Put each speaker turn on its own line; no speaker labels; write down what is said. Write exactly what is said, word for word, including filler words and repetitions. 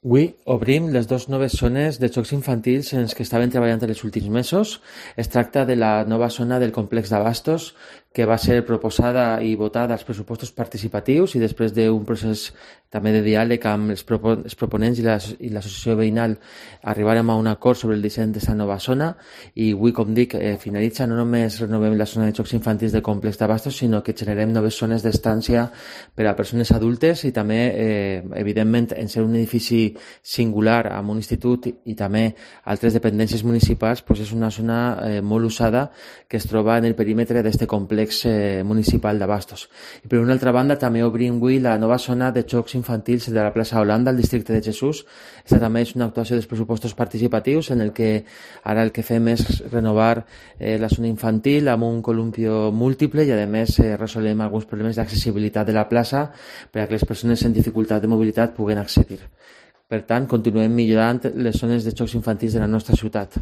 Avui obrim les dues noves zones de jocs infantils en les que estaven treballant els últims mesos. Es tracta de la nova zona del complex d'Abastos, que va ser proposada i votada als pressupostos participatius i després d'un procés també de diàleg amb els, propo els proponents i l'associació la, veïnal arribarem a un acord sobre el disseny d'aquesta nova zona i avui, com dic, eh, finalitza. No només renovem la zona de jocs infantils del complex d'Abastos, sinó que generem noves zones d'estància per a persones adultes i també, eh, evidentment, en ser un edifici singular amb un institut i també altres dependències municipals, doncs és una zona eh, molt usada que es troba en el perímetre d'aquest complex eh, municipal d'Abastos. I per una altra banda també obrim avui la nova zona de jocs infantils de la plaça Holanda al districte de Jesús. Aquesta també és una actuació dels pressupostos participatius en el que ara el que fem és renovar eh, la zona infantil amb un columpio múltiple i a més eh, resolem alguns problemes d'accessibilitat de la plaça per a que les persones en dificultat de mobilitat puguen accedir. Per tant, continuem millorant les zones de jocs infantils de la nostra ciutat.